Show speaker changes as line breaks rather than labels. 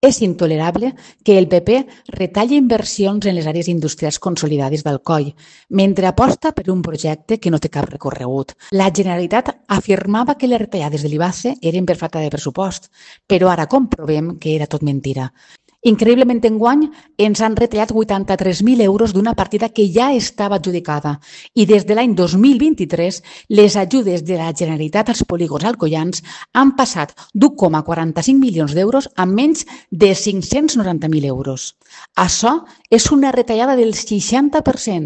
És intolerable que el PP retalli inversions en les àrees industrials consolidades d'Alcoi, mentre aposta per un projecte que no té cap recorregut. La Generalitat afirmava que les retallades de l'IBACE eren per falta de pressupost, però ara comprovem que era tot mentira. Increïblement, enguany ens han retallat 83.000 euros d'una partida que ja estava adjudicada i des de l'any 2023 les ajudes de la Generalitat als polígons alcoians han passat d'1,45 milions d'euros a menys de 590.000 euros. Això és una retallada del 60%.